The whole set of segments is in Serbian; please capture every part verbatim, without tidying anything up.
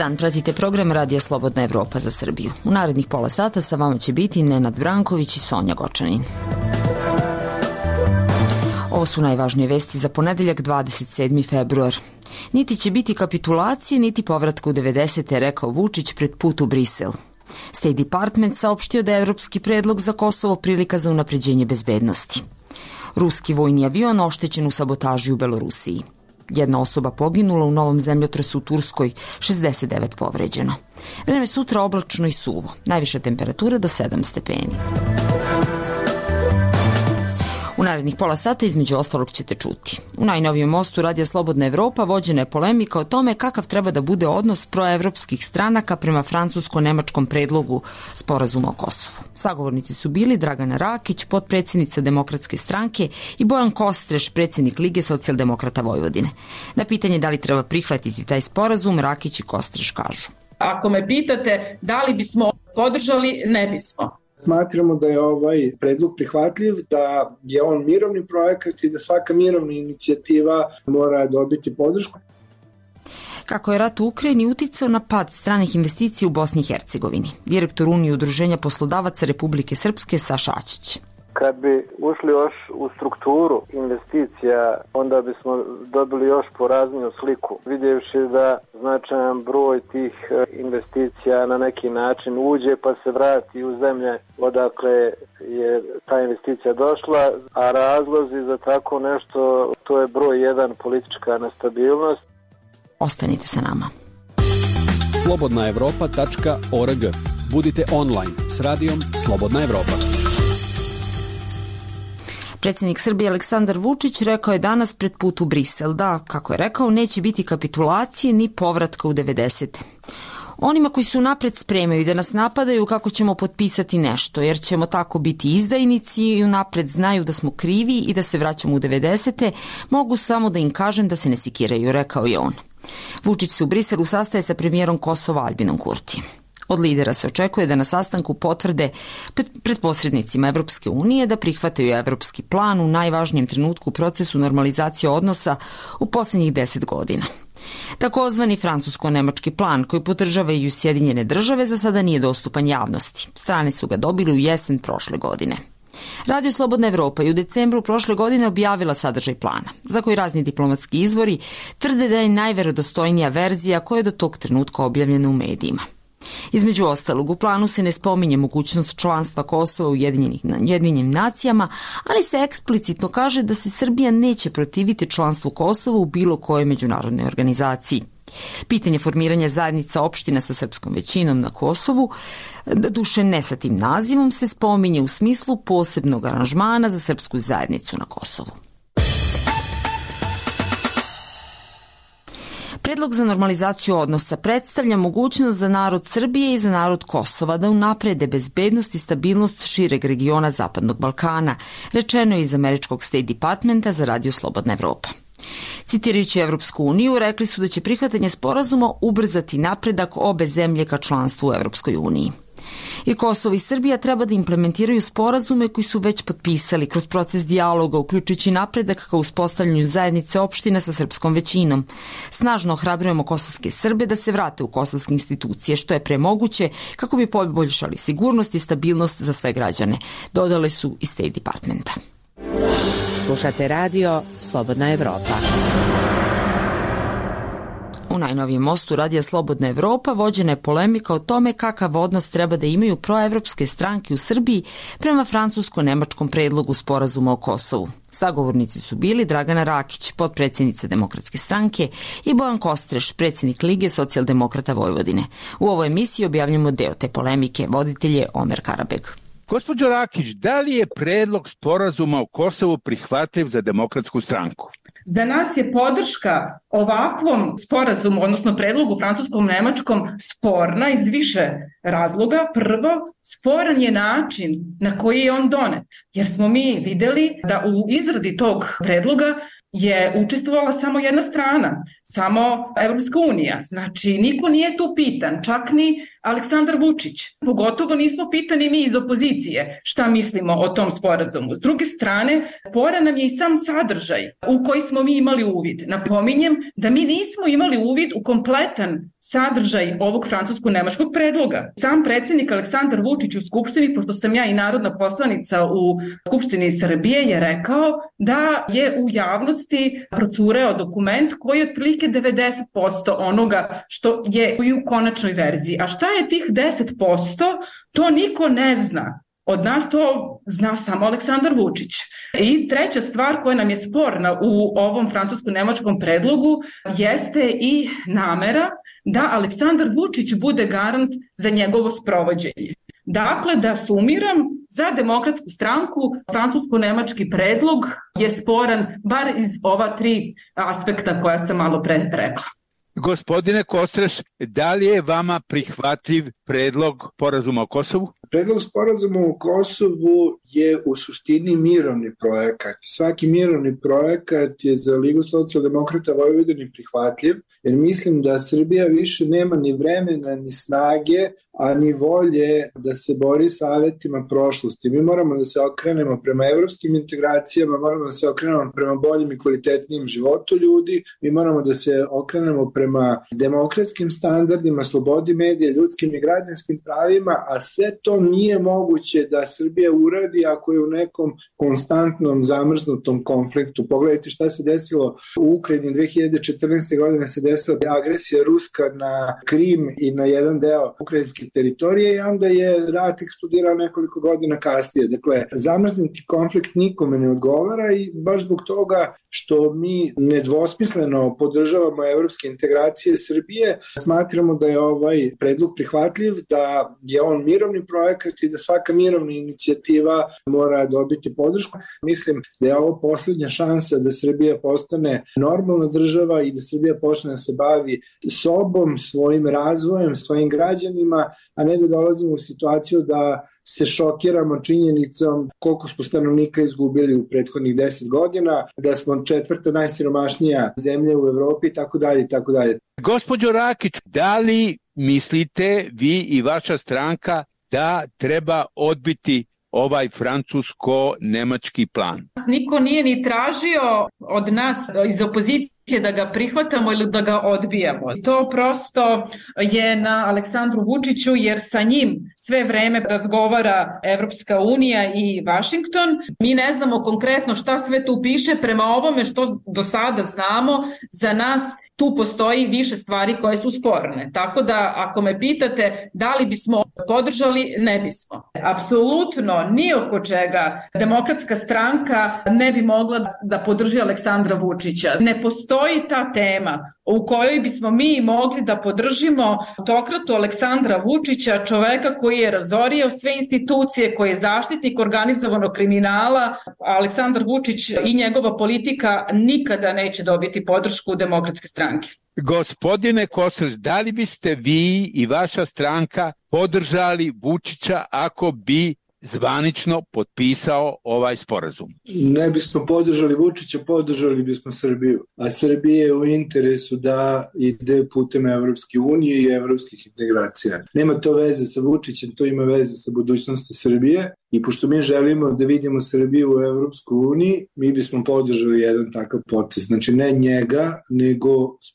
dan, pratite program Radija Slobodna Evropa za Srbiju. U narednih pola sata sa vama će biti Nenad Branković i Sonja Gočanin. Ovo su najvažnije vesti za ponedeljak dvadeset sedmi februar. Niti će biti kapitulacije, niti povratka u devedesete, rekao Vučić pred put u Brisel. State Department saopštio da je evropski predlog za Kosovo prilika za unapređenje bezbednosti. Ruski vojni avion oštećen u sabotaži u Belorusiji. Jedna osoba poginula u novom zemljotresu u Turskoj, šezdeset devet povređeno. Vreme sutra oblačno i suvo, najviša temperatura do sedam stepeni. U narednih pola sata između ostalog ćete čuti. U najnovijem mostu Radija Slobodna Evropa vođena je polemika o tome kakav treba da bude odnos proevropskih stranaka prema francusko-nemačkom predlogu sporazuma o Kosovu. Sagovornici su bili Dragana Rakić, potpredsjednica Demokratske stranke, i Bojan Kostreš, predsjednik Lige socijaldemokrata Vojvodine. Na pitanje da li treba prihvatiti taj sporazum, Rakić i Kostreš kažu: Ako me pitate da li bismo podržali, ne bismo. Smatramo da je ovaj predlog prihvatljiv, da je on mirovni projekat i da svaka mirovna inicijativa mora dobiti podršku. Kako je rat u Ukrajini uticao na pad stranih investicija u Bosni i Hercegovini? Direktor Unije udruženja poslodavaca Republike Srpske Saša Ačić. Kad bi ušli još u strukturu investicija, onda bismo dobili još porazniju sliku. Vidjevši da značajan broj tih investicija na neki način uđe pa se vrati u zemlje odakle je ta investicija došla, a razlozi za tako nešto, to je broj jedan, politička nestabilnost. Ostanite sa nama. slobodna evropa tačka org. Budite online s radijom Slobodna Evropa. Predsjednik Srbije Aleksandar Vučić rekao je danas pred put u Brisel da, kako je rekao, neće biti kapitulacije ni povratka u devedesete. Onima koji su napred spremaju da nas napadaju kako ćemo potpisati nešto, jer ćemo tako biti izdajnici i unapred znaju da smo krivi i da se vraćamo u devedesete, mogu samo da im kažem da se ne sikiraju, rekao je on. Vučić se u Briselu sastaje sa premijerom Kosova Albinom Kurtijem. Od lidera se očekuje da na sastanku potvrde pred posrednicima Evropske unije da prihvataju evropski plan u najvažnijem trenutku u procesu normalizacije odnosa u posljednjih deset godina. Takozvani francusko-nemački plan koji podržavaju Sjedinjene države za sada nije dostupan javnosti. Strane su ga dobili u jesen prošle godine. Radio Slobodna Evropa je u decembru prošle godine objavila sadržaj plana, za koji razni diplomatski izvori tvrde da je najverodostojnija verzija koja je do tog trenutka objavljena u medijima. Između ostalog, u planu se ne spominje mogućnost članstva Kosova u Ujedinjenim nacijama, ali se eksplicitno kaže da se Srbija neće protiviti članstvu Kosova u bilo kojoj međunarodnoj organizaciji. Pitanje formiranja zajednica opština sa srpskom većinom na Kosovu, doduše ne sa tim nazivom, se spominje u smislu posebnog aranžmana za srpsku zajednicu na Kosovu. Predlog za normalizaciju odnosa predstavlja mogućnost za narod Srbije i za narod Kosova da unaprede bezbednost i stabilnost šireg regiona Zapadnog Balkana, rečeno je iz američkog State Departmenta za Radio Slobodna Evropa. Citirajući Evropsku uniju, rekli su da će prihvatanje sporazuma ubrzati napredak obe zemlje ka članstvu u Evropskoj uniji. I Kosovo i Srbija treba da implementiraju sporazume koji su već potpisali kroz proces dijaloga, uključujući napredak ka uspostavljanju zajednice opština sa srpskom većinom. Snažno ohrabrujemo kosovske Srbe da se vrate u kosovske institucije, što je pre moguće kako bi poboljšali sigurnost i stabilnost za sve građane, dodale su iz State Departmenta. Slušate radio Slobodna Evropa. U najnovijem mostu Radija Slobodna Evropa vođena je polemika o tome kakav odnos treba da imaju proevropske stranke u Srbiji prema francusko-nemačkom predlogu sporazuma o Kosovu. Sagovornici su bili Dragana Rakić, potpredsjednica Demokratske stranke, i Bojan Kostreš, predsjednik Lige socijaldemokrata Vojvodine. U ovoj emisiji objavljamo deo te polemike, voditelj je Omer Karabeg. Gospođo Rakić, da li je predlog sporazuma o Kosovu prihvatljiv za Demokratsku stranku? Za nas je podrška ovakvom sporazumu, odnosno predlogu francuskom-nemačkom, sporna iz više razloga. Prvo, sporan je način na koji je on donet, jer smo mi videli da u izradi tog predloga je učestvovala samo jedna strana, samo Evropska unija. Znači, niko nije tu pitan, čak ni Aleksandar Vučić. Pogotovo nismo pitani mi iz opozicije šta mislimo o tom sporazumu. S druge strane, sporan nam je i sam sadržaj u koji smo mi imali uvid. Napominjem da mi nismo imali uvid u kompletan sadržaj ovog francusko-nemačkog predloga. Sam predsjednik Aleksandar Vučić u Skupštini, pošto sam ja i narodna poslanica u Skupštini Srbije, je rekao da je u javnosti procureo dokument koji je otprilike devedeset posto onoga što je i u konačnoj verziji. A šta je tih deset posto? To niko ne zna. Od nas to zna samo Aleksandar Vučić. I treća stvar koja nam je sporna u ovom francusko-nemačkom predlogu jeste i namera da Aleksandar Vučić bude garant za njegovo sprovođenje. Dakle, da sumiram, za Demokratsku stranku francusko-nemački predlog je sporan bar iz ova tri aspekta koja sam malo pre rekla. Gospodine Kostreš, da li je vama prihvatljiv predlog sporazuma o Kosovu? Predlog sporazuma o Kosovu je u suštini mirovni projekat. Svaki mirovni projekat je za Ligu socijaldemokrata Vojvodine prihvatljiv, jer mislim da Srbija više nema ni vremena, ni snage, a ni volje da se bori sa avetima prošlosti. Mi moramo da se okrenemo prema evropskim integracijama, moramo da se okrenemo prema boljim i kvalitetnijim životu ljudi, mi moramo da se okrenemo prema demokratskim standardima, slobodi medija, ljudskim i građanskim pravima, a sve to nije moguće da Srbija uradi ako je u nekom konstantnom zamrznutom konfliktu. Pogledajte šta se desilo u Ukrajini dve hiljade četrnaeste. godine, se desila agresija Ruska na Krim i na jedan deo ukrajinske teritorije i onda je rat eksplodirao nekoliko godina kasnije. Dakle, zamrznuti konflikt nikome ne odgovara i baš zbog toga što mi nedvosmisleno podržavamo evropske integracije Srbije, smatramo da je ovaj predlog prihvatljiv, da je on mirovni projekat i da svaka mirovna inicijativa mora dobiti podršku. Mislim da je ovo poslednja šansa da Srbija postane normalna država i da Srbija počne da se bavi sobom, svojim razvojem, svojim građanima, a ne da dolazimo u situaciju da se šokiramo činjenicom koliko smo stanovnika izgubili u prethodnih deset godina, da smo četvrta najsiromašnija zemlja u Evropi i tako dalje i tako dalje. Gospođo Rakić, da li mislite vi i vaša stranka da treba odbiti ovaj francusko-nemački plan? Niko nije ni tražio od nas iz opozicije da ga prihvatamo ili da ga odbijamo. To prosto je na Aleksandru Vučiću, jer sa njim sve vreme razgovara Evropska unija i Vašington. Mi ne znamo konkretno šta sve tu piše. Prema ovome što do sada znamo, za nas tu postoji više stvari koje su sporne. Tako da, ako me pitate da li bismo podržali, ne bismo. Apsolutno, ni oko čega Demokratska stranka ne bi mogla da podrži Aleksandra Vučića. Ne postoji ta tema u kojoj bismo mi mogli da podržimo autokratu Aleksandra Vučića, čoveka koji je razorio sve institucije, koji je zaštitnik organizovanog kriminala. Aleksandar Vučić i njegova politika nikada neće dobiti podršku Demokratske stranke. Gospodine Kostreš, da li biste vi i vaša stranka podržali Vučića ako bi zvanično potpisao ovaj sporazum? Ne bismo podržali Vučića, podržali bismo Srbiju. A Srbije je u interesu da ide putem Evropske unije i evropskih integracija. Nema to veze sa Vučićem, to ima veze sa budućnosti Srbije. I pošto mi želimo da vidimo Srbiju u Evropskoj uniji, mi bismo podržali jedan takav potez. Znači ne njega, nego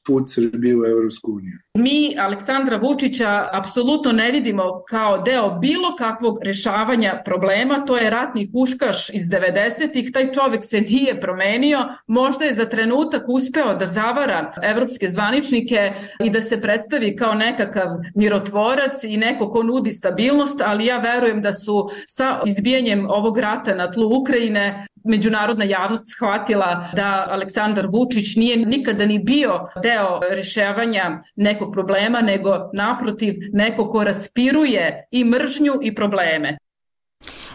put Srbije u Evropsku uniju. Mi Aleksandra Vučića apsolutno ne vidimo kao deo bilo kakvog rešavanja problema. To je ratni huškaš iz devedesetih. Taj čovek se nije promenio. Možda je za trenutak uspeo da zavara evropske zvaničnike i da se predstavi kao nekakav mirotvorac i neko ko nudi stabilnost, ali ja verujem da su sa izbijanjem ovog rata na tlu Ukrajine međunarodna javnost shvatila da Aleksandar Vučić nije nikada ni bio deo rešavanja nekog problema, nego naprotiv neko ko raspiruje i mržnju i probleme.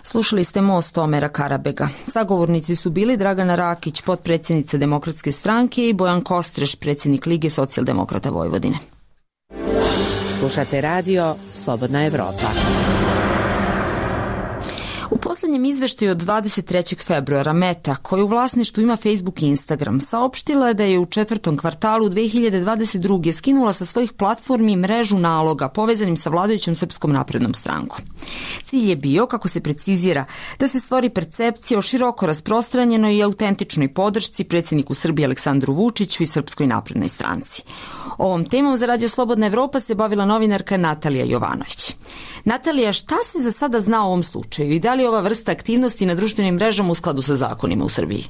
Slušali ste Most Omera Karabega. Sagovornici su bili Dragana Rakić, potpredsjednica Demokratske stranke, i Bojan Kostreš, predsjednik Lige socijaldemokrata Vojvodine. Slušate radio Slobodna Evropa. U poslednjem izveštaju od dvadeset trećeg februara Meta, koja u vlasništvu ima Facebook i Instagram, saopštila je da je u četvrtom kvartalu dve hiljade dvadeset druge. skinula sa svojih platformi mrežu naloga povezanim sa vladajućom Srpskom naprednom strankom. Cilj je bio, kako se precizira, da se stvori percepcija o široko rasprostranjenoj i autentičnoj podršci predsjedniku Srbije Aleksandru Vučiću i Srpskoj naprednoj stranci. Ovom temom za Radio Slobodna Evropa se bavila novinarka Natalija Jovanović. Natalija, šta se za sada zna o ovom slučaju i da li je ova vrsta aktivnosti na društvenim mrežama u skladu sa zakonima u Srbiji?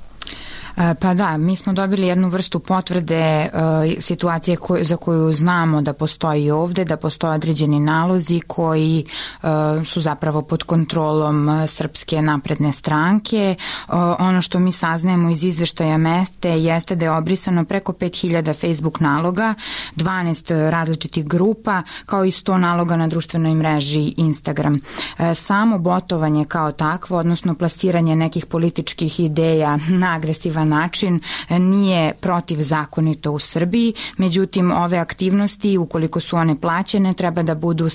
Pa da, mi smo dobili jednu vrstu potvrde uh, situacije koj, za koju znamo da postoji ovde, da postoje određeni nalozi koji uh, su zapravo pod kontrolom uh, Srpske napredne stranke. Uh, ono što mi saznajemo iz izveštaja Mete jeste da je obrisano preko pet hiljada Facebook naloga, dvanaest različitih grupa, kao i sto naloga na društvenoj mreži Instagram. Uh, samo botovanje kao takvo, odnosno plasiranje nekih političkih ideja na agresivan način nije protivzakonito u Srbiji, međutim ove aktivnosti, ukoliko su one plaćene, treba da budu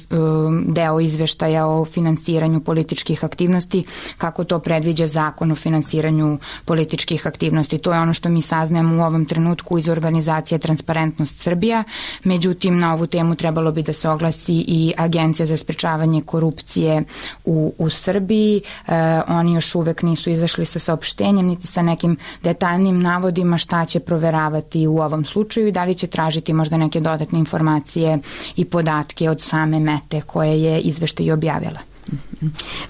deo izveštaja o finansiranju političkih aktivnosti, kako to predviđa zakon o finansiranju političkih aktivnosti. To je ono što mi saznajemo u ovom trenutku iz organizacije Transparentnost Srbija, međutim na ovu temu trebalo bi da se oglasi i Agencija za sprečavanje korupcije u, u Srbiji. E, oni još uvek nisu izašli sa saopštenjem niti sa nekim detaljnim navodima šta će proveravati u ovom slučaju i da li će tražiti možda neke dodatne informacije i podatke od same Mete koje je izveštaj objavila.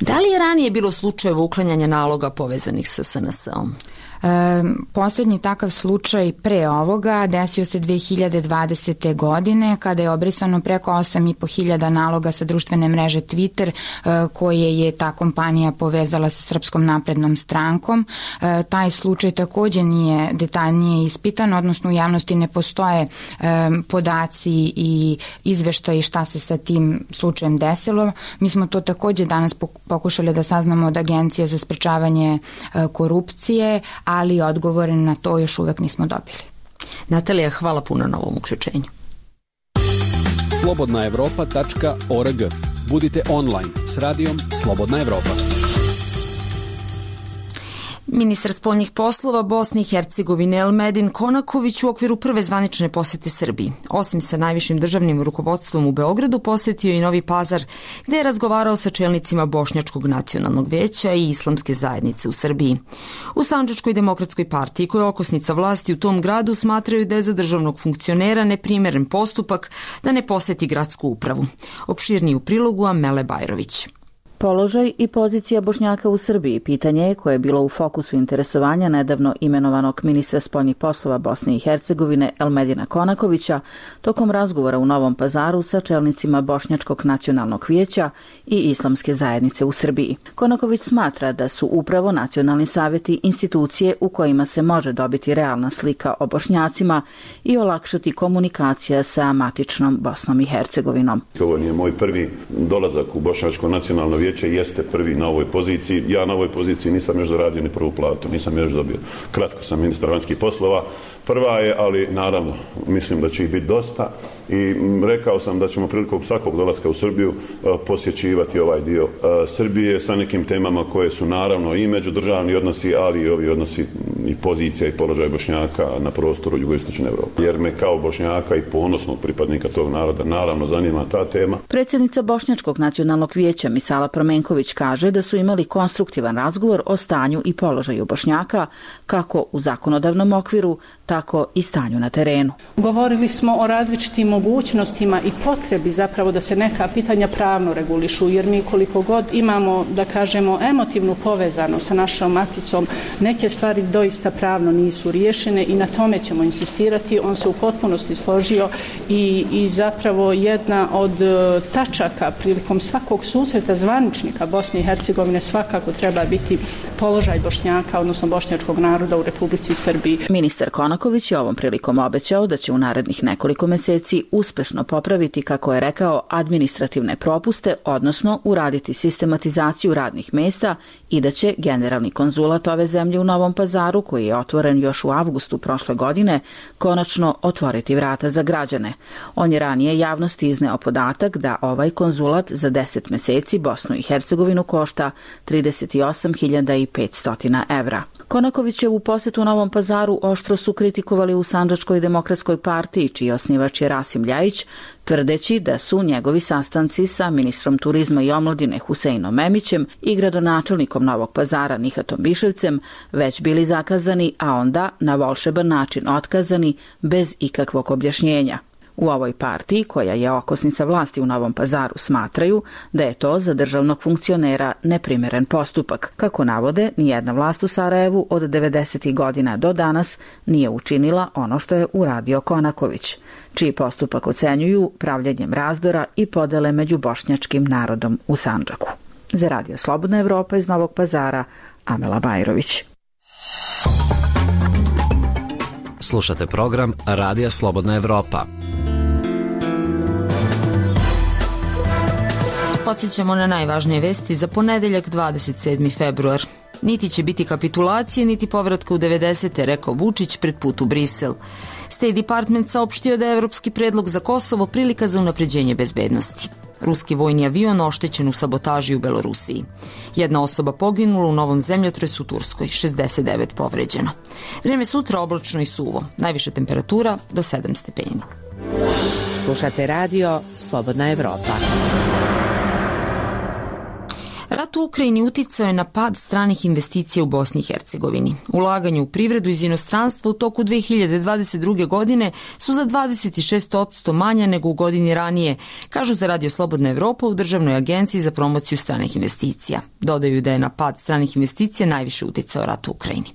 Da li je ranije bilo slučajeva uklanjanja naloga povezanih sa S N S-om? E, posljednji takav slučaj pre ovoga desio se dve hiljade dvadesete. godine kada je obrisano preko osam i po hiljada naloga sa društvene mreže Twitter e, koje je ta kompanija povezala sa Srpskom naprednom strankom. E, taj slučaj takođe nije detaljnije ispitan, odnosno u javnosti ne postoje e, podaci i izveštaji šta se sa tim slučajem desilo. Mi smo to takođe danas pokušali da saznamo od Agencije za sprečavanje e, korupcije, ali odgovore na to još uvek nismo dobili. Natalija, hvala puno na ovom uključenju. slobodna evropa tačka org. Budite online s radijom Slobodna Evropa. Ministar spoljnih poslova Bosne i Hercegovine Elmedin Konaković u okviru prve zvanične posete Srbiji. Osim sa najvišim državnim rukovodstvom u Beogradu, posetio i Novi Pazar, gde je razgovarao sa čelnicima Bošnjačkog nacionalnog veća i Islamske zajednice u Srbiji. U Sandžačkoj demokratskoj partiji, koja je okosnica vlasti u tom gradu, smatraju da je za državnog funkcionera neprimeren postupak da ne poseti gradsku upravu. Opširniji u prilogu Amele Bajrović. Položaj i pozicija Bošnjaka u Srbiji pitanje je koje je bilo u fokusu interesovanja nedavno imenovanog ministra spoljnih poslova Bosne i Hercegovine Elmedina Konakovića tokom razgovora u Novom Pazaru sa čelnicima Bošnjačkog nacionalnog vijeća i Islamske zajednice u Srbiji. Konaković smatra da su upravo nacionalni savjeti institucije u kojima se može dobiti realna slika o Bošnjacima i olakšati komunikacija sa matičnom Bosnom i Hercegovinom. Ovo nije moj prvi dolazak u Bošnjačko nacionalno vijeće, jeste prvi na ovoj poziciji. Ja na ovoj poziciji nisam još zaradio ni prvu platu, nisam još dobio. Kratko sam ministar vanjskih poslova. Prva je, ali naravno, mislim da će ih biti dosta i rekao sam da ćemo prilikom svakog dolaska u Srbiju posjećivati ovaj dio Srbije sa nekim temama koje su naravno i međudržavni odnosi, ali i ovi odnosi i pozicija i položaj Bošnjaka na prostoru jugoistočne Evrope. Jer me kao Bošnjaka i ponosnog pripadnika tog naroda naravno zanima ta tema. Predsjednica Bošnjačkog nacionalnog vijeća Misala Promenković kaže da su imali konstruktivan razgovor o stanju i položaju Bošnjaka, kako u zakonodavnom okviru, tako i stanju na terenu. Govorili smo o različitim mogućnostima i potrebi zapravo da se neka pitanja pravno regulišu, jer mi koliko god imamo, da kažemo, emotivnu povezanost sa našom maticom, neke stvari doista pravno nisu riješene i na tome ćemo insistirati. On se u potpunosti složio i, i zapravo jedna od tačaka prilikom svakog susreta zvaničnika Bosne i Hercegovine svakako treba biti položaj Bošnjaka, odnosno bošnjačkog naroda u Republici Srbiji. Ministar Konaković Konaković je ovom prilikom obećao da će u narednih nekoliko meseci uspešno popraviti, kako je rekao, administrativne propuste, odnosno uraditi sistematizaciju radnih mesta i da će generalni konzulat ove zemlje u Novom Pazaru, koji je otvoren još u avgustu prošle godine, konačno otvoriti vrata za građane. On je ranije javnosti izneo podatak da ovaj konzulat za deset meseci Bosnu i Hercegovinu košta trideset osam hiljada petsto evra. Konakovićevu posetu u Novom Pazaru oštro su kritikovali u Sandžačkoj demokratskoj partiji, čiji osnivač je Rasim Ljajić, tvrdeći da su njegovi sastanci sa ministrom turizma i omladine Huseinom Memićem i gradonačelnikom Novog Pazara Nihatom Biševcem već bili zakazani, a onda na volšeban način otkazani bez ikakvog objašnjenja. U ovoj partiji, koja je okosnica vlasti u Novom Pazaru, smatraju da je to za državnog funkcionera neprimeren postupak. Kako navode, nijedna vlast u Sarajevu od devedesetih godina do danas nije učinila ono što je uradio Konaković, čiji postupak ocenjuju pravljenjem razdora i podele među bošnjačkim narodom u Sandžaku. Za Radio Slobodna Evropa iz Novog Pazara, Amela Bajrović. Slušate program Radija Slobodna Evropa. Podsjećamo na najvažnije vesti za ponedeljak dvadeset sedmi februar. Niti će biti kapitulacije, niti povratka u devedesete, rekao Vučić pred put u Brisel. State Department saopštio da je evropski predlog za Kosovo prilika za unapređenje bezbednosti. Ruski vojni avion oštećen u sabotaži u Belorusiji. Jedna osoba poginula u novom zemljotresu u Turskoj, šezdeset devet povređeno. Vreme sutra oblačno i suvo. Najviša temperatura do sedam stepeni. Slušate radio Slobodna Evropa. Rat u Ukrajini uticao je na pad stranih investicija u Bosni i Hercegovini. Ulaganje u privredu iz inostranstva u toku dve hiljade dvadeset druge. godine su za dvadeset šest posto manja nego u godini ranije, kažu za Radio Slobodna Evropa u Državnoj agenciji za promociju stranih investicija. Dodaju da je na pad stranih investicija najviše uticao rat u Ukrajini.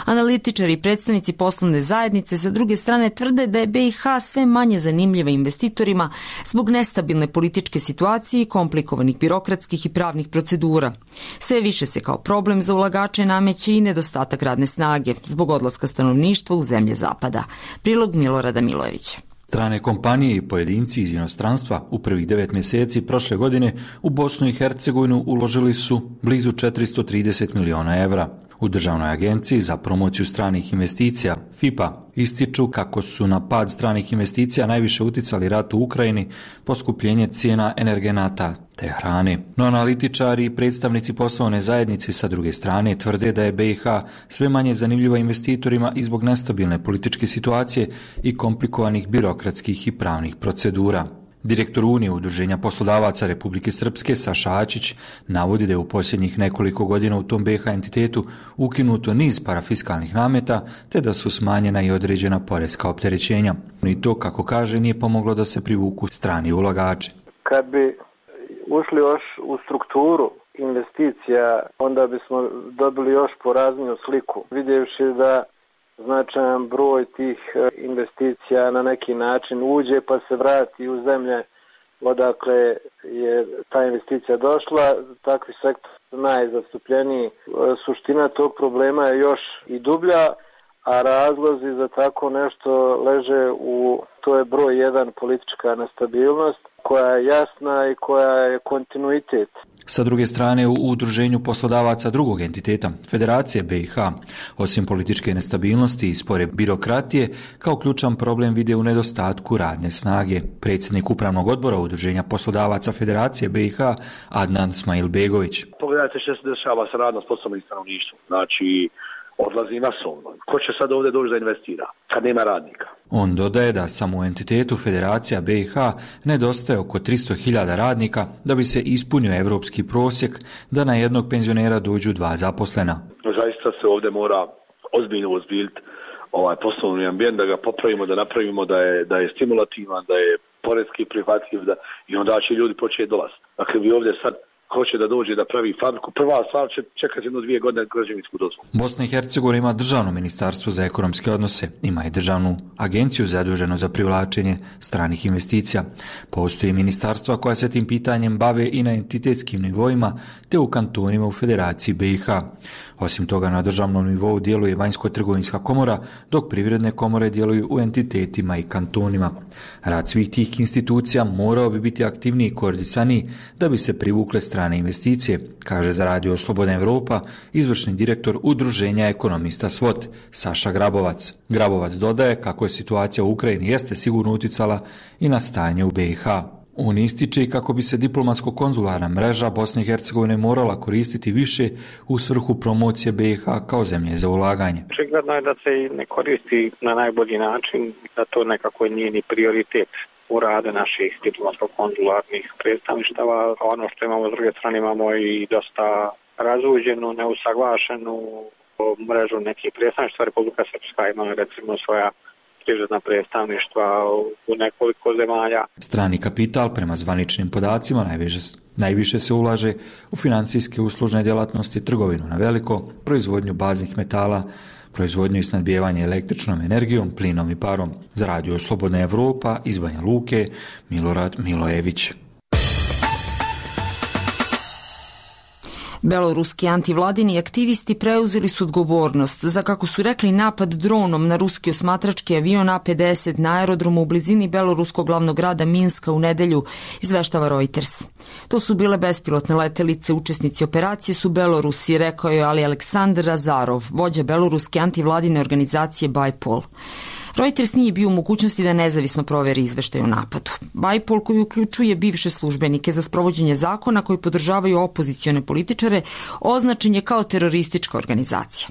Analitičari i predstavnici poslovne zajednice sa druge strane tvrde da je B i H sve manje zanimljiva investitorima zbog nestabilne političke situacije i komplikovanih birokratskih i pravnih procedura. Sve više se kao problem za ulagače nameće i nedostatak radne snage zbog odlaska stanovništva u zemlje zapada. Prilog Milorada Milojevića. Strane kompanije i pojedinci iz inostranstva u prvih devet mjeseci prošle godine u Bosnu i Hercegovinu uložili su blizu četiristo trideset miliona evra. U Državnoj agenciji za promociju stranih investicija, F I P A, ističu kako su na pad stranih investicija najviše uticali rat u Ukrajini, poskupljenje cijena energenata te hrane. No analitičari i predstavnici poslovne zajednice sa druge strane tvrde da je B i H sve manje zanimljiva investitorima i zbog nestabilne političke situacije i komplikovanih birokratskih i pravnih procedura. Direktor Unije Udruženja poslodavaca Republike Srpske Saša Ačić navodi da je u posljednjih nekoliko godina u tom B i H entitetu ukinuto niz parafiskalnih nameta te da su smanjena i određena poreska opterećenja. I to, kako kaže, nije pomoglo da se privuku strani ulagači. Kad bi ušli još u strukturu investicija, onda bismo dobili još porazniju sliku, vidjevši da značajan broj tih investicija na neki način uđe pa se vrati u zemlje odakle je ta investicija došla, takvi sektor najzastupljeniji. Suština tog problema je još i dublja, a razlozi za tako nešto leže u, to je broj jedan, politička nestabilnost koja je jasna i koja je kontinuitet. Sa druge strane, u udruženju poslodavaca drugog entiteta, Federacije B i H, osim političke nestabilnosti i spore birokratije, kao ključan problem vide u nedostatku radne snage. Predsjednik upravnog odbora udruženja poslodavaca Federacije B i H, Adnan Smailbegović. Pogledajte što se dešava sa radno sposobnim stanovništvom. Znači, odlazi masovno. Ko će sad ovdje doći da investira kad nema radnika? On dodaje da samo u entitetu Federacija B i H nedostaje oko tristo hiljada radnika da bi se ispunio evropski prosjek da na jednog penzionera dođu dva zaposlena. Zaista se ovdje mora ozbiljno ozbiljiti ovaj poslovni ambijent, da ga popravimo, da napravimo da je, da je stimulativan, da je poredski prihvatljiv da, i onda će ljudi početi dolaziti. Dakle, vi ovdje sad hoće da dođe da pravi fabriku, prva stvar će čekati jedno dvije godine građevinsku dozvolu. Bosna i Hercegovina ima državno ministarstvo za ekonomske odnose, ima i državnu agenciju zaduženu za privlačenje stranih investicija. Postoji ministarstva koja se tim pitanjem bave i na entitetskim nivoima te u kantonima u Federaciji B i H. Osim toga, na državnom nivou djeluje vanjsko-trgovinska komora, dok privredne komore djeluju u entitetima i kantonima. Rad svih tih institucija morao bi biti aktivniji i koordinisaniji da bi se privukle strane investicije, kaže za Radio Slobodna Evropa izvršni direktor Udruženja ekonomista S W O T, Saša Grabovac. Grabovac dodaje kako je situacija u Ukrajini jeste sigurno uticala i na stanje u B i H. On ističe i kako bi se diplomatsko-konzularna mreža Bosne i Hercegovine morala koristiti više u svrhu promocije B i H kao zemlje za ulaganje. Očigledno je da se ne koristi na najbolji način, da to nekako nije ni prioritet u rade naših diplomatsko-konzularnih predstavništava. Ono što imamo s druge strane, imamo i dosta razuđenu, neusaglašenu mrežu nekih predstavništva. Republika Srpska ima recimo svoja privredna predstavništva u nekoliko zemalja. Strani kapital, prema zvaničnim podacima, najviše, najviše se ulaže u financijske uslužne djelatnosti, trgovinu na veliko, proizvodnju baznih metala, proizvodnju i snadbijevanje električnom energijom, plinom i parom. Za Radio Slobodna Evropa iz Banja Luke, Milorad Milojević. Beloruski antivladini aktivisti preuzeli su odgovornost za, kako su rekli, napad dronom na ruski osmatrački avion A pedeset na aerodromu u blizini beloruskog glavnog grada Minska u nedelju, izveštava Reuters. To su bile bespilotne letelice, učesnici operacije su Belorusi, rekao je Ali Aleksandar Azarov, vođa beloruske antivladine organizacije Bajpol. Reuters nije bio u mogućnosti da nezavisno proveri izveštaj o napadu. Bajpol, koji uključuje bivše službenike za sprovođenje zakona koji podržavaju opozicione političare, označen je kao teroristička organizacija.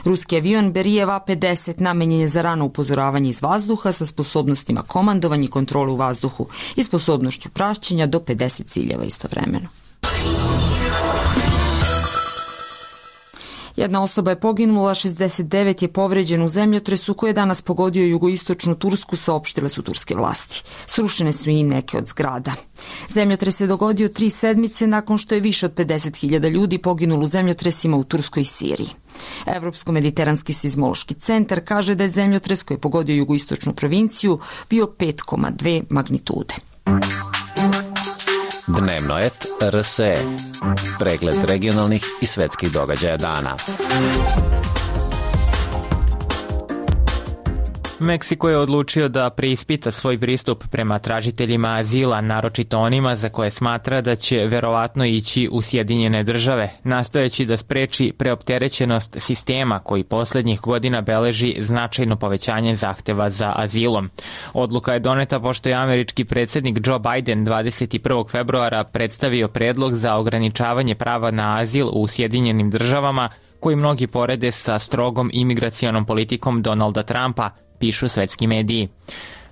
Ruski avion Berijev A pedeset namenjen je za rano upozoravanje iz vazduha sa sposobnostima komandovanja i kontrole u vazduhu i sposobnošću praćenja do pedeset ciljeva istovremeno. Jedna osoba je poginula, šezdeset devet je povređena u zemljotresu koji je danas pogodio jugoistočnu Tursku, saopštile su turske vlasti. Srušene su i neke od zgrada. Zemljotres se dogodio tri sedmice nakon što je više od pedeset hiljada ljudi poginulo u zemljotresima u Turskoj i Siriji. Evropsko-mediteranski seizmološki centar kaže da je zemljotres koji je pogodio jugoistočnu provinciju bio pet zarez dve magnitude. Dnevno et R S E. Pregled regionalnih i svetskih događaja dana. Meksiko je odlučio da preispita svoj pristup prema tražiteljima azila, naročito onima za koje smatra da će verovatno ići u Sjedinjene države, nastojeći da spreči preopterećenost sistema koji poslednjih godina beleži značajno povećanje zahteva za azilom. Odluka je doneta pošto je američki predsjednik Joe Biden dvadeset prvog februara predstavio predlog za ograničavanje prava na azil u Sjedinjenim državama, koji mnogi porede sa strogom imigracionom politikom Donalda Trumpa, pišu svetski mediji.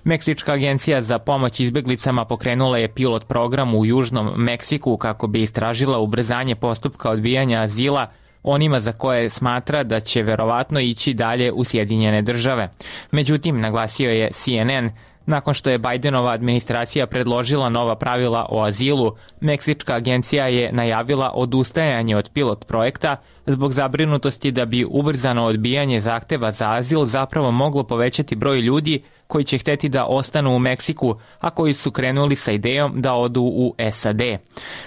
Meksička agencija za pomoć izbjeglicama pokrenula je pilot program u Južnom Meksiku kako bi istražila ubrzanje postupka odbijanja azila onima za koje smatra da će verovatno ići dalje u Sjedinjene države. Međutim, naglasio je C N N, nakon što je Bidenova administracija predložila nova pravila o azilu, Meksička agencija je najavila odustajanje od pilot projekta zbog zabrinutosti da bi ubrzano odbijanje zahteva za azil zapravo moglo povećati broj ljudi koji će hteti da ostanu u Meksiku, a koji su krenuli sa idejom da odu u S A D.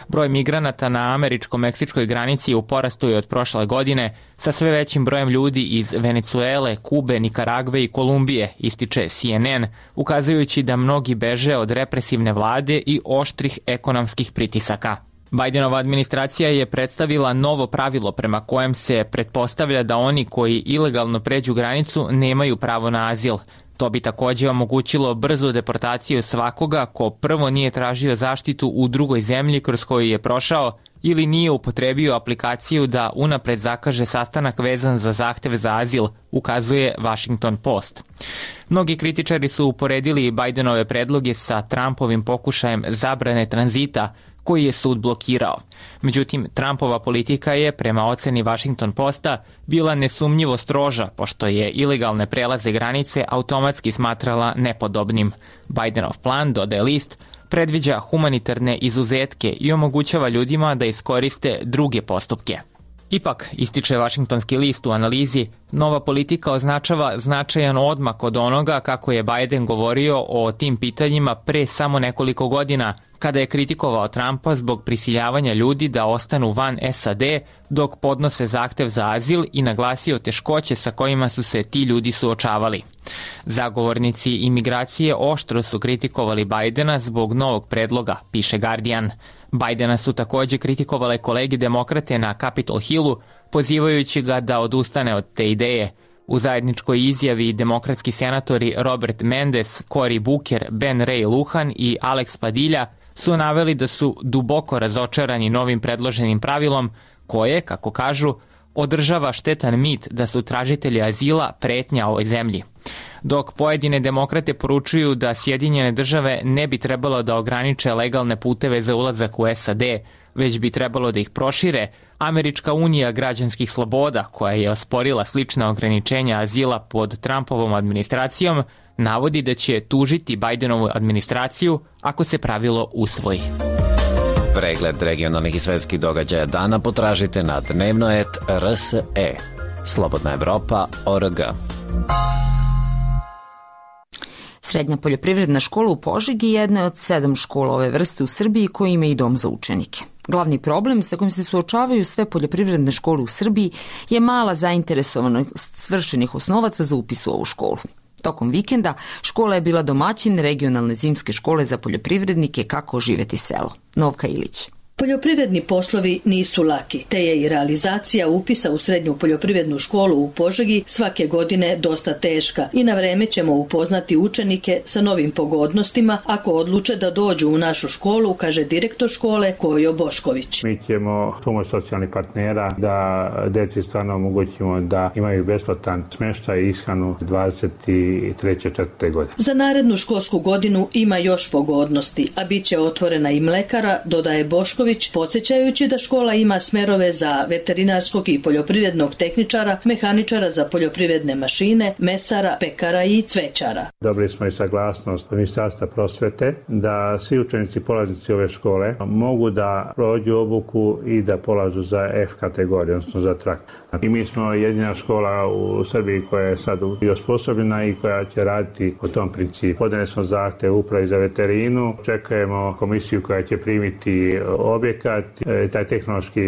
Broj migranata na američko-meksičkoj granici u porastu je od prošle godine, sa sve većim brojem ljudi iz Venecuele, Kube, Nikaragve i Kolumbije, ističe C N N, ukazujući da mnogi beže od represivne vlade i oštrih ekonomskih pritisaka. Bidenova administracija je predstavila novo pravilo prema kojem se pretpostavlja da oni koji ilegalno pređu granicu nemaju pravo na azil. To bi također omogućilo brzu deportaciju svakoga ko prvo nije tražio zaštitu u drugoj zemlji kroz koju je prošao ili nije upotrebio aplikaciju da unapred zakaže sastanak vezan za zahtev za azil, ukazuje Washington Post. Mnogi kritičari su uporedili Bidenove predloge sa Trumpovim pokušajem zabrane tranzita, koji je sud blokirao. Međutim, Trumpova politika je, prema oceni Washington Posta, bila nesumnjivo stroža, pošto je ilegalne prelaze granice automatski smatrala nepodobnim. Bidenov plan, dodaje list, predviđa humanitarne izuzetke i omogućava ljudima da iskoriste druge postupke. Ipak, ističe Washingtonski list u analizi, nova politika označava značajan odmak od onoga kako je Biden govorio o tim pitanjima pre samo nekoliko godina, kada je kritikovao Trumpa zbog prisiljavanja ljudi da ostanu van S A D dok podnose zahtev za azil i naglasio teškoće sa kojima su se ti ljudi suočavali. Zagovornici imigracije oštro su kritikovali Bidena zbog novog predloga, piše Guardian. Bidena su takođe kritikovale kolegi demokrate na Capitol Hillu, pozivajući ga da odustane od te ideje. U zajedničkoj izjavi demokratski senatori Robert Mendes, Cory Booker, Ben Ray Lujan i Alex Padilla su naveli da su duboko razočarani novim predloženim pravilom koje, kako kažu, održava štetan mit da su tražitelji azila pretnja ovoj zemlji. Dok pojedine demokrate poručuju da Sjedinjene države ne bi trebalo da ograniče legalne puteve za ulazak u S A D, već bi trebalo da ih prošire, Američka unija građanskih sloboda, koja je osporila slična ograničenja azila pod Trumpovom administracijom, navodi da će tužiti Bidenovu administraciju ako se pravilo usvoji. Pregled regionalnih i svetskih događaja dana potražite na dnevno et R S E. Slobodna Evropa tačka org. Srednja poljoprivredna škola u Požegi jedna je od sedam škola ove vrste u Srbiji koji ima i dom za učenike. Glavni problem sa kojim se suočavaju sve poljoprivredne škole u Srbiji je mala zainteresovanost svršenih osnovaca za upis u ovu školu. Tokom vikenda škola je bila domaćin regionalne zimske škole za poljoprivrednike Kako oživeti selo. Novka Ilić. Poljoprivredni poslovi nisu laki, te je i realizacija upisa u srednju poljoprivrednu školu u Požegi svake godine dosta teška i na vreme ćemo upoznati učenike sa novim pogodnostima ako odluče da dođu u našu školu, kaže direktor škole Kojo Bošković. Mi ćemo pomoć socijalnih partnera da deci stvarno omogućimo da imaju besplatan smeštaj i ishranu dvadeset treće četvrte godine. Za narednu školsku godinu ima još pogodnosti, a bit će otvorena i mlekara, dodaje Bošković, podsjećajući da škola ima smerove za veterinarskog i poljoprivrednog tehničara, mehaničara za poljoprivredne mašine, mesara, pekara i cvećara. Dobili smo i saglasnost Ministarstva prosvete da svi učenici polaznici ove škole mogu da prođu obuku i da polažu za F kategoriju, odnosno za trakt. I mi smo jedina škola u Srbiji koja je sad osposobljena i koja će raditi po tom principu. Podneli smo zahtev upravi za veterinu, čekujemo komisiju koja će primiti objekat, taj tehnološki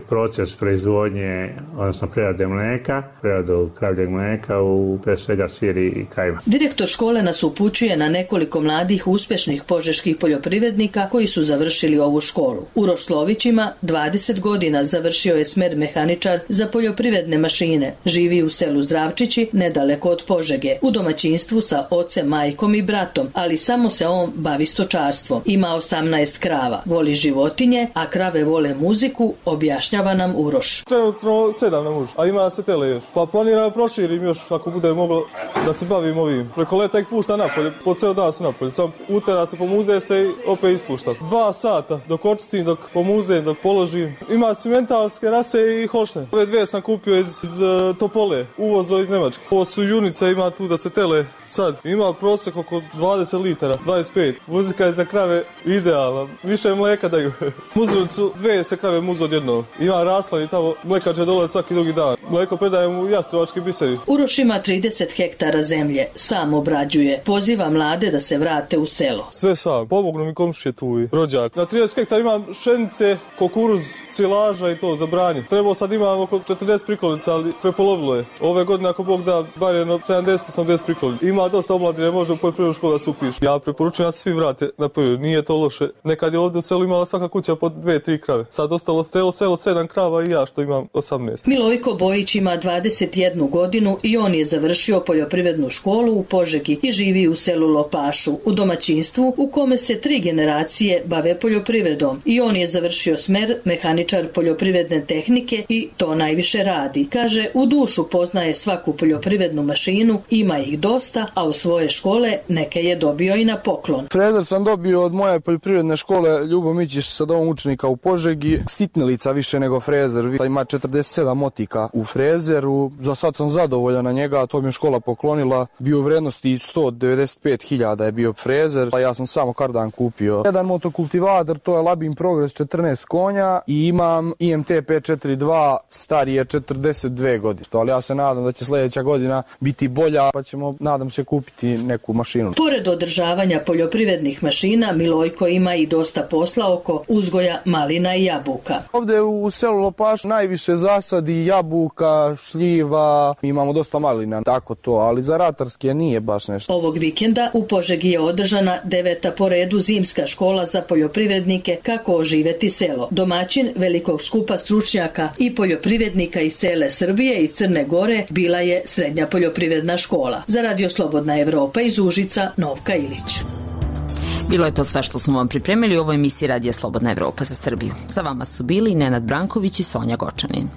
proces proizvodnje, odnosno prerade mleka, preradu kravljeg mleka u pre svega sir i kajmak. Direktor škole nas upućuje na nekoliko mladih uspešnih požeških poljoprivrednika koji su završili ovu školu. Uroš Slović ima dvadeset godina, završio je smer mehaničar za poljoprivredne mašine. Živi u selu Zdravčići, nedaleko od Požege, u domaćinstvu sa ocem, majkom i bratom, ali samo se on bavi stočarstvom. Ima osamnaest krava, voli životinje, a krave vole muziku, objašnjava nam Uroš. Trenutno sedam na muž, a ima se tele još. Pa planiram proširim još ako bude moglo da se bavim ovim. Preko leta ih pušta napolje, po ceo dan su napolje. Sam utera se, pomuze se i opet ispuštam. Dva sata dok očistim, dok pomuzem, dok položim. Ima simentalske rase i hošne. Ove dve sam kupio iz, iz uh, Topole, uvozo iz Nemačke. Ovo su junica, ima tu da se tele sad. Ima prosek oko dvadeset litara, dvadeset pet. Muzika je za krave idealna, više mleka daju. Muzili su dve se krave muzu odjedno. Ima raslan i tamo mlekače dolaze svaki drugi dan. Mleko predajem u Jastrovački biseri. Uroš ima trideset hektara zemlje, sam obrađuje. Poziva mlade da se vrate u selo. Sve sam, pomognu mi komšije tu i rođak. Na trideset hektara imam pšenice, kukuruz, silaža i to za branje. Trebao sad imam oko četrdeset prikolica, ali prepolovilo je. Ove godine ako Bog da, bar jedno sedamdeset osamdeset prikolica. Ima dosta omladine, može u poljoprivrednu školu da se upiše. Ja preporučujem da se svi vrate na poljoprivredu, nije to loše. Nekad je ovdje u selu imala svaka kuća po dve, tri krave. Sad ostalo selo, selo sedam krava i ja što imam osamnaest. Milojko Bojić ima dvadeset jednu godinu i on je završio poljoprivrednu školu u Požegi i živi u selu Lopašu, u domaćinstvu u kome se tri generacije bave poljoprivredom. I on je završio smer mehaničar poljoprivredne tehnike i to najviše radi. Kaže, u dušu poznaje svaku poljoprivrednu mašinu, ima ih dosta, a u svoje škole neke je dobio i na poklon. Frezer sam dobio od moje poljoprivredne škole Ljubo Mićiš sa domom učenika u Požegi. Sitnilica više nego frezer, ima četrdeset sedam motika u frezeru. Za sad sam zadovoljan na njega, to mi je škola poklonila. Bio u vrednosti sto devedeset pet hiljada je bio frezer, a ja sam samo kardan kupio. Jedan motokultivator, to je Labin Progress četrnaest konja i imam I M T pet četrdeset dva, stari je četrdeset dve godine. Ali ja se nadam da će sljedeća godina biti bolja, pa ćemo, nadam se, kupiti neku mašinu. Pored održavanja poljoprivrednih mašina, Milojko ima i dosta posla oko uzgoja malina i jabuka. Ovdje u selu Lopaš najviše zasadi jabuka, šljiva, imamo dosta malina, tako to, ali za ratarske nije baš nešto. Ovog vikenda u Požegi je održana deveta po redu zimska škola za poljoprivrednike Kako oživeti selo. Domaćin velikog skupa stručnjaka i poljoprivrednika iz cele Srbije i Crne Gore bila je Srednja poljoprivredna škola. Za Radio Slobodna Evropa iz Užica, Novka Ilić. Bilo je to sve što smo vam pripremili u ovoj emisiji Radija Slobodna Evropa za Srbiju. Sa vama su bili Nenad Branković i Sonja Gočanin.